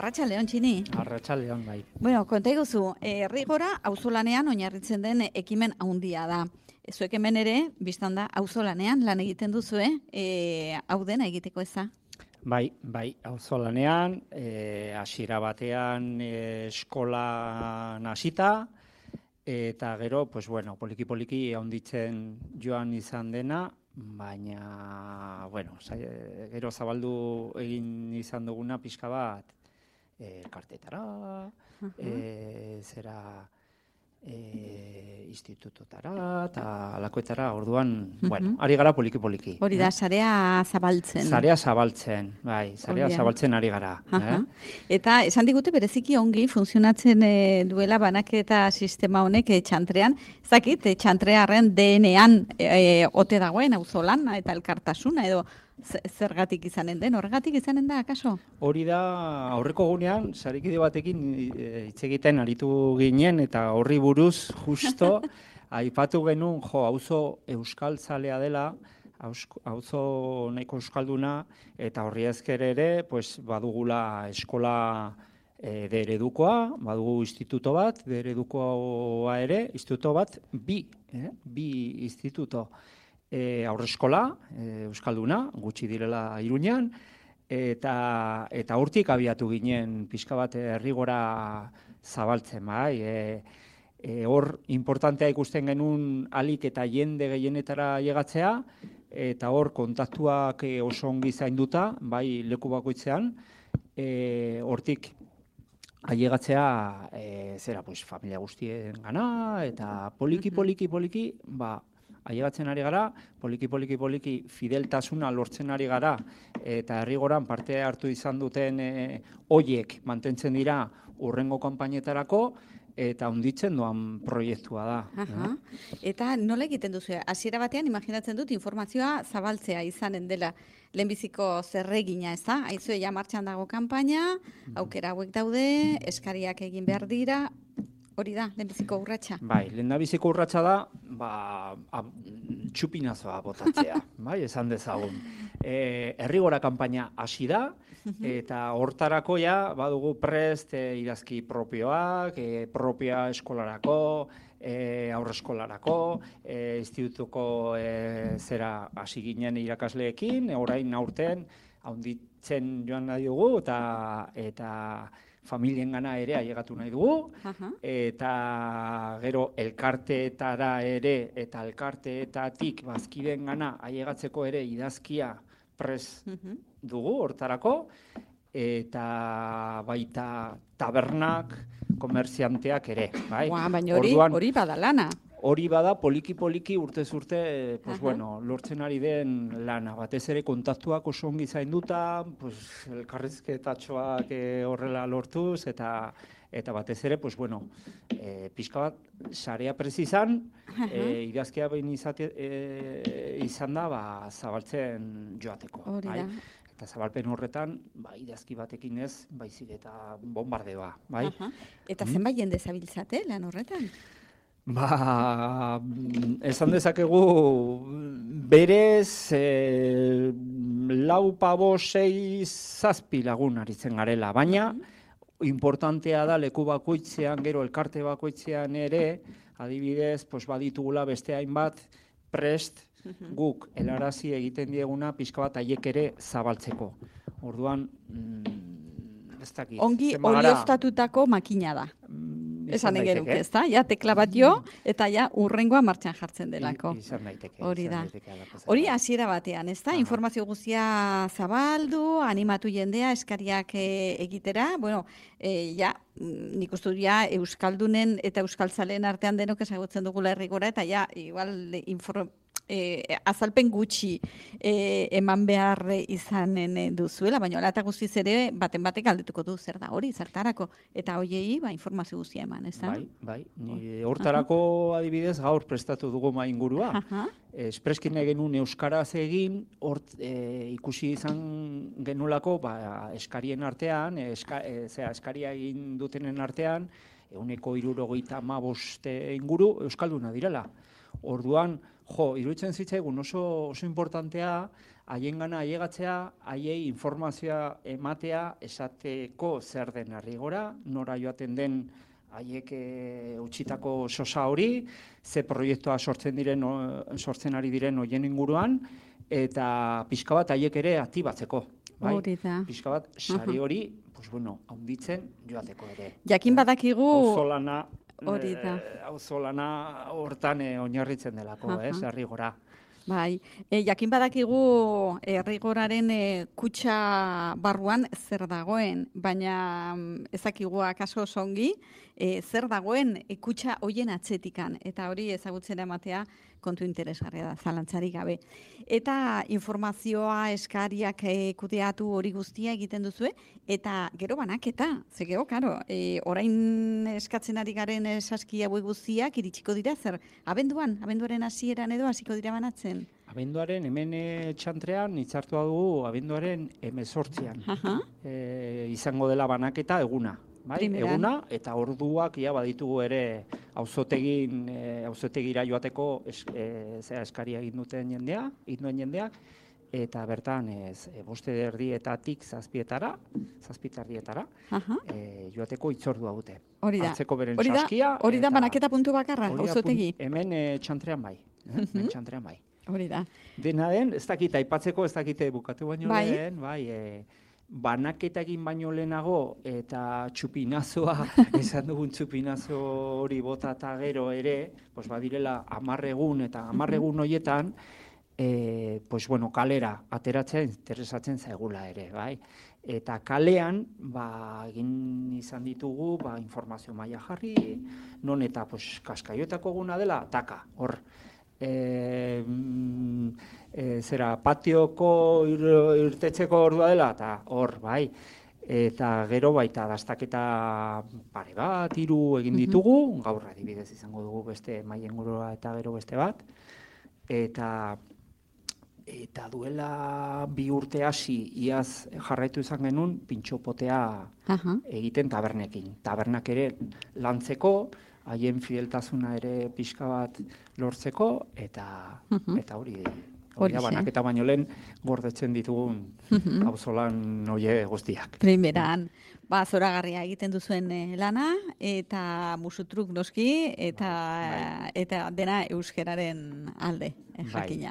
Arratsaldeon, Txini. Arratsaldeon, bai. Bueno, konta iguzu, Errigora auzolanean oinarritzen den ekimen handia da. Zuek hemen ere, biztan da, auzolanean lan egiten duzue, hau dena egiteko eza? Bai, auzolanean, hasiera batean eskolan hasita, eta gero, pues bueno, poliki-poliki handitzen joan izan dena, baina, bueno, gero zabaldu egin izan duguna pixka bat, elkartetara, institutotara, eta alakoetara, orduan, bueno, ari gara poliki-poliki. Hori da, sarea zabaltzen. Sarea zabaltzen, bai, sarea zabaltzen ari gara. Eta esan digute bereziki ongi funtzionatzen duela banaketa sistema honek txantrean, zakit, txantrearen DNA-an ote dagoen auzolan eta elkartasuna edo zergatik izanen den, horregatik izanen da, akaso? Hori da, aurreko gunean, sarikide batekin hitz egiten aritu ginen, eta horri buruz, justo, aipatu genuen, auzo euskaltzalea dela, auzo nahiko euskalduna, eta horri ezker ere, pues, badugula eskola deredukoa, badugu instituto bat, deredukoa ere, instituto bat, bi instituto. Aurreskola, euskalduna, gutxi direla Iruñan, eta hortik abiatu ginen pixka bat Errigora zabaltzen, bai. Hor importantea ikusten genuen alik eta jende gehienetara llegatzea, eta hor kontaktuak oso ongi zainduta, bai leku bakoitzean, hortik ailegatzea familia guztien gana, eta poliki, ailegatzen ari gara, poliki fideltasuna lortzen ari gara, eta Errigoran parte hartu izan duten hoiek mantentzen dira hurrengo kanpainetarako, eta handitzen doan proiektua da. Eta nola egiten duzu? Hasiera batean, imaginatzen dut, informazioa zabaltzea izanen dela lehenbiziko zerregina, ez da? Aizue ja martxan dago kanpaina, aukera hauek daude, eskariak egin behar dira, hori da, lehenbiziko urratsa. Bai, lehendabiziko urratsa da, txupinazoa botatzea, bai, esan dezagun. Errigora kanpaina hasi da, eta hortarako ja, badugu prest idazki propioak, propia eskolarako, aurreskolarako, institutuko hasi ginen irakasleekin, orain aurten, handitzen joan nahi dugu, eta familien gana ere ailegatu nahi dugu, eta gero elkarteetara ere, eta elkarteetatik bazkideen gana ailegatzeko ere idazkia prest dugu hortarako, eta baita tabernak, komerzianteak ere. Baina hori badalana. Hori bada, poliki urtez urte, lortzen ari den lana. Batez ere kontaktuak oso ongi zainduta, elkarrizketatxoak horrela lortuz, eta batez ere, pixka bat, sarea prezizan, idazkia behin izan da, zabaltzen joateko. Hori da. Eta zabalpen horretan, idazki batekin ez, baizik eta bombardeoa. Eta zenbait jende zabiltzate lan horretan? Esan dezakegu berez 4, 5, 6, 7 lagun aritzen garela, baina importantea da leku bakoitzean, gero elkarte bakoitzean ere, adibidez, baditugula beste hainbat prest guk helarazi egiten dieguna pixka bat haiek ere zabaltzeko. Orduan, ez dakit. Ongi olioztatutako makina da. Esan egeruk, ez da? Ja, tekla bat jo, eta ja, urrengoa martxan jartzen delako. Izan daiteke. Hori da. Hori hasiera batean, ez da? Informazio guztia zabaldu, animatu jendea, eskariak egitera. Bueno, nik uste dut Euskaldunen eta Euskaltzaleen artean denok ezagutzen dugula Errigora, eta igual azalpen gutxi eman behar izanen duzuela, baina ala eta guztiz ere baten batek galdetuko du zer da hori, zertarako, eta hoiei informazio guztia eman, ez da? Bai. Hortarako adibidez gaur prestatu dugu ingurua. Espreskin genuen euskaraz egin, ikusi izan genulako eskarien artean, eskaria egin dutenen artean, 175 inguru euskalduna direla. Orduan, iruditzen zitzaigun oso importantea haiengana ailegatzea, haiei informazioa ematea esateko zer den Arrigora, nora joaten den haiek utzitako sosa hori, ze proiektua sortzen ari diren hoien inguruan, eta pixka bat haiek ere aktibatzeko. Bai? Pixka bat sari hori, handitzen joateko ere. Jakin badakigu... Auzolana hortan oinarritzen delako, Arrigora. Bai, jakin badakigu Arrigoraren kutxa barruan zer dagoen, baina ezakigu akaso songi, zer dagoen kutxa hoien atzetikan, eta hori ezagutzen ematea kontu interesgarria da, zalantzarik gabe. Eta informazioa eskariak kudeatu hori guztia egiten duzue, eta gero banaketa, ze gero, karo, orain eskatzen ari garen saskia hauek guztiak iritsiko dira, zer, abenduaren hasieran edo hasiko dira banatzen? Abenduaren hemen txantrean hitzartua dugu abenduaren 18an. Izango dela banaketa eguna. Bai, eguna eta orduak baditugu ere auzotegira joateko eskaria egin duen jendea, eta bertan 5:30 7:00 joateko hitzordua dute. Hori da. Atzeko beren saskia. Hori da banaketa puntu bakarra, auzotegi. Hemen txantrean bai. Txantrean bai. Hori da. Dena den, ez dakite aipatzeko, ez dakite bukatu baino lehen, banaketa egin baino lehenago eta txupinazoa, esan dugun txupinazo hori bota eta gero ere, badirela 10 egun eta 10 egun horietan, kalera ateratzen interesatzen zaigula ere, bai? Eta kalean, egin izan ditugu, informazio maila jarri, non eta kaskaioetako eguna dela, taka, hor. Patioko irtetzeko ordua dela, eta hor, bai. Eta gero baita dastaketa pare bat, 3 egin ditugu, gaur adibidez izango dugu beste maien gurua eta gero beste bat. Eta duela 2 urte hasi iaz jarraitu izan genuen pintxopotea egiten tabernekin. Tabernak ere lantzeko, haien fideltasuna ere pixka bat lortzeko, eta hori da banaketa baino lehen gordetzen ditugun auzolan hoe guztiak. Primeran, zoragarria egiten duzuen lana, eta musutruk noski, eta dena euskeraren alde, jakina.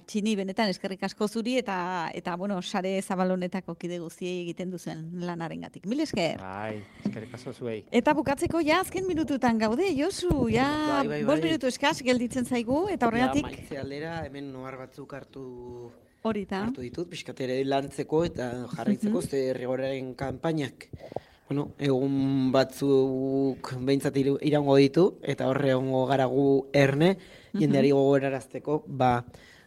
Txini, benetan eskerrik asko zuri, eta sare zabalonetako kide guztiei egiten duzuen lanarengatik. Mil esker. Eskerrik asko zuei. Eta bukatzeko azken minututan gaude, Josu, 5 minutu eskaz gelditzen zaigu, eta horregatik... Maitze aldera, hemen noar batzuk hartu ditut, pixkatere lantzeko eta jarraitzeko, ze Arrigoraren kanpainak. Egun batzuk behintzat iraungo ditu, eta horre egongo gara gu erne, jendeari gogorarazteko,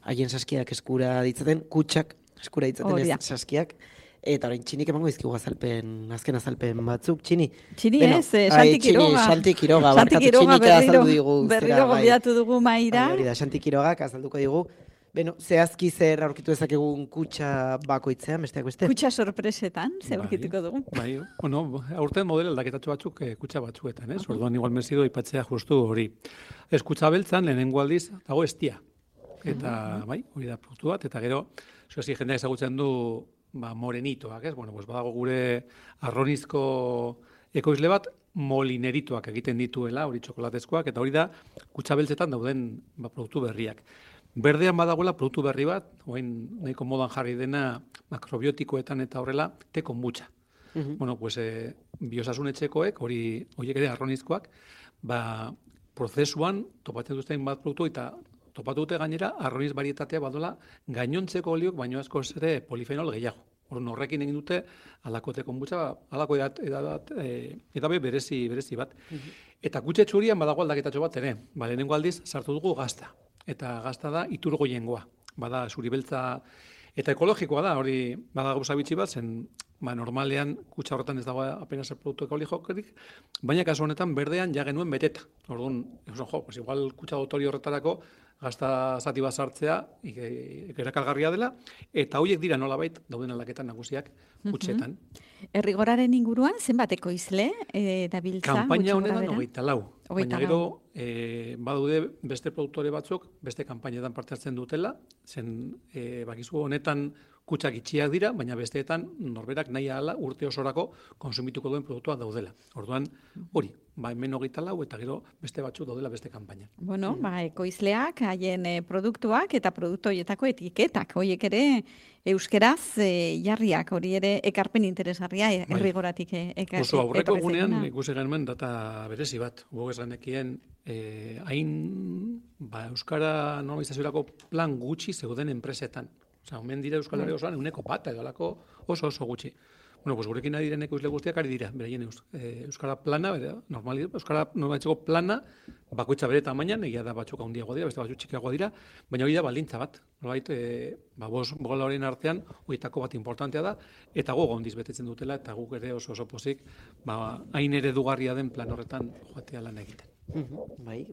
haien saskiak eskura ditzaten, kutsak eskura ditzaten ez saskiak, eta orain Txinik emango izkigu azken azalpen batzuk. Txini ez, Santi Quiroga. Santi Quiroga, barkatu Txinik azaldu digu. Berriro gonbidatu dugu maira. Hori da, Santi Quirogak azalduko digu. Zehazki zer aurkitu ezakegun kutxa bakoitzean, besteak beste? Kutxa sorpresetan, zer aurkituko dugu? Aurten model aldaketatxo batzuk kutxa batzuetan, orduan igual mezido ipatzea justu hori. Ez kutxa beltzan, lehenengo aldiz, dago estia. Eta, hori da produktu bat, eta gero, zuezi jendeak ezagutzen du morenitoak, badago gure arronizko ekoizle bat, molineritoak egiten dituela, hori txokolatezkoak, eta hori da kutxa beltzetan dauden produktu berriak. Berdean badagoela produktu berri bat, nahiko modan jarri dena makrobiotikoetan eta horrela, te konbutxa. Biosasun etxekoek, horiek ere arronizkoak, prozesuan topatzen duzten bat produktu eta topatu dute gainera arroniz barietatea badola gainontzeko oliok baino asko ere polifenol gehiago. Horrekin egin dute alako te konbutxa, alako edabe berezi bat. Eta kutxe txurian badago aldaketatxo bat ere, lehenengo aldiz sartu dugu gazta. Eta gazta da iturgoiengoa. Bada zuri beltza eta ekologikoa da, hori bada gauza bitxi bat, zen normalean kutxa horretan ez dago apenas produktu ekologikorik, baina kasu honetan berdean ja genuen beteta. Orduan, igual kutxa dotori horretarako gazta zati bat sartzea, erakargarria dela, eta horiek dira nolabait dauden aldaketan nagusiak kutxetan. Errigoraren inguruan, zenbateko izle dabiltza? Kanpaina honetan 24. Baina gero, badude beste produktore batzuk, beste kanpainetan parte hartzen dutela, zen bakizu honetan kutsak itxiak dira, baina besteetan norberak nahi ahala urte osorako konsumituko duen produktua daudela. Orduan, hori, hemen 24 eta gero beste batzuk daudela beste kanpaina. Bueno, ekoizleak, haien produktuak eta produktu horietako etiketak, horiek ere euskeraz jarriak, hori ere ekarpen interesgarria errigoratik ekarpen. Oso aurreko egunean ikusi genuen data berezi bat, gogez genekien hain euskara normalizaziorako plan gutxi zeuden enpresetan. Omen dira Euskal Herria osoan 1% edo alako oso gutxi. Bueno, pues gurekin ari diren ekoizle guztiak ari dira, beraien euskara plana, euskara normalitzeko plana, bakoitza bere tamainan, egia da batzuk handiagoa dira, beste batzuk txikiagoa dira, baina hori da baldintza bat. Nolabait, bola horien artean, horietako bat importantea da, eta gogo handiz betetzen dutela, eta guk ere oso pozik, hain eredugarria den plan horretan joatea lan egiten. Bai,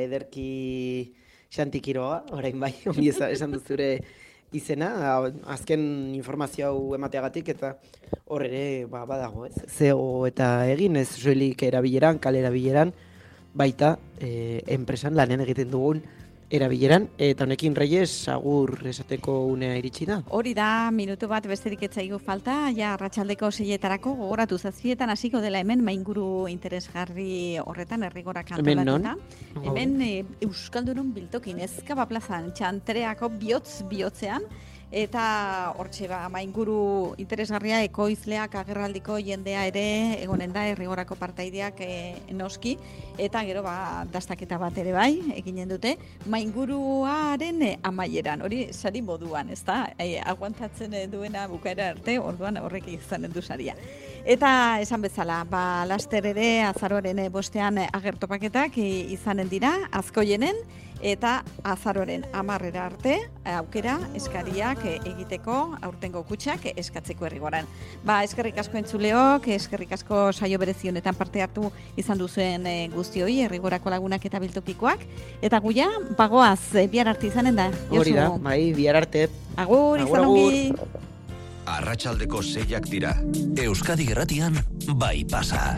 ederki Xanti Quiroga, orain bai, ongi esan duzure izena, azken informazio hau emateagatik, eta hor ere badago, ez? Zeo eta egin, ez soilik erabileran, kale erabileran, baita enpresan lanean egiten dugun erabileran, eta honekin Reyes agur esateko unea iritsi da. Hori da, minutu bat besterik ez zaigu falta, ja arratsaldeko 6etarako gogoratu 7etan hasiko dela hemen mainguru interesgarri horretan errigorak antolatuta. Hemen Euskaldunon biltokin Ezkaba plazan Txantreako bihotzean, eta hortxe mainguru interesgarria ekoizleak agerraldiko jendea ere egonen da errigorako partaideak noski, eta gero dastaketa bat ere bai eginen dute mainguruaren amaieran, hori sari moduan, ezta? Aguantatzen duena bukaera arte, orduan horrek izanen du saria. Eta esan bezala, laster ere azaroaren 5ean agertopaketak izanen dira, azkoienen, eta azaroaren 10 arte aukera eskariak egiteko aurtengo kutxak eskatzeko errigoran. Eskerrik asko entzuleok, eskerrik asko saio berezi honetan parte hartu izan duzuen guztioi, errigorako lagunak eta biltokikoak, eta guia, bagoaz, bihar arte izanen da. Hori da, bihar arte. Agur, izan ongi. Arratsaldeko 6ak dira. Euskadi Irratian bai pasa.